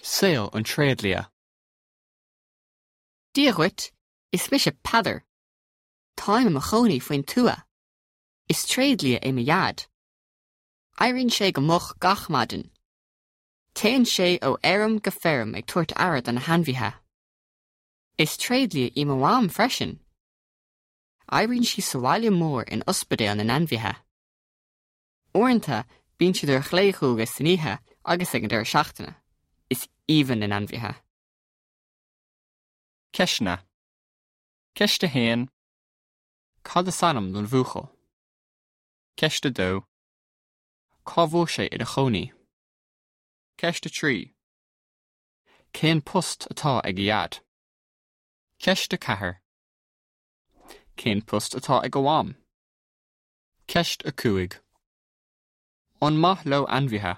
Saol an tréidlia. Dia dhuit, is mise Peadar. Táim i mo chónaí faoin tuath. Is tréidlia é mo dhaid. Éiríonn sé go moch gach maidin. Téann sé ó fheirm go feirm ag tabhairt aire do na hainmhithe. Is tréidlia í mo mham freisin. Oibríonn sí sa bhaile mór in ospidéal na n-ainmhithe. Uaireanta bíonn siad ar ghlaodhualgas san oíche agus ag an deireadh seachtaine. Is aoibhinn na n-ainmhithe. Ceisteanna. Ceist 1. Cad is ainm don bhuachaill? Ceist 2. Cá bhfuil sé ina chónaí? Ceist 3. Cén post atá ag a dhaid? Ceist 4. Cén post atá ag a mham? Ceist 5. An maith leo ainmhithe?